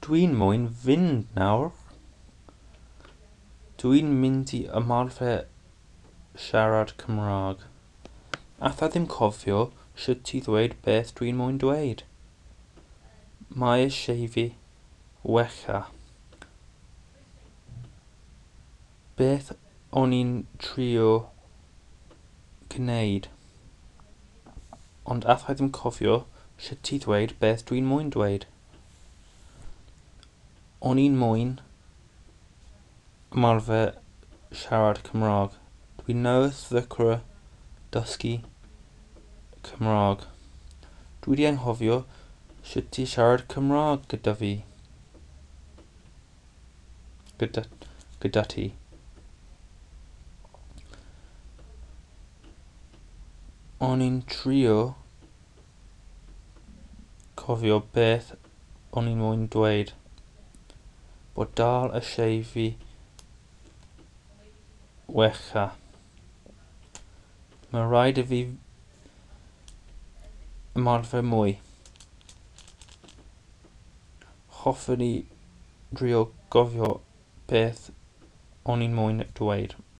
Dwi'n moyn fynd nawr. Dwi'n mynd i ymarfer siarad Cymraeg. Alla ddim cofio sut i ddweud beth dwi'n moyn dweud. Mae eisiau fi wella. Beth o'n i'n trio gwneud? Ond alla ddim cofio sut i ddweud beth dwi'n moyn dweud. O'n i'n moyn ymarfer siarad Cymraeg. Dwi newydd ddechrau dysgu Cymraeg. Dwi 'di anghofio sut i siarad Cymraeg gyda fi. Gyda ti. O'n i'n trio cofio beth o'n i'n moyn dweud. Bod dal eisiau fi wella. Mae rhaid i fi ymarfer mwy. Hoffwn i drio gofio beth o'n i'n moyn dweud.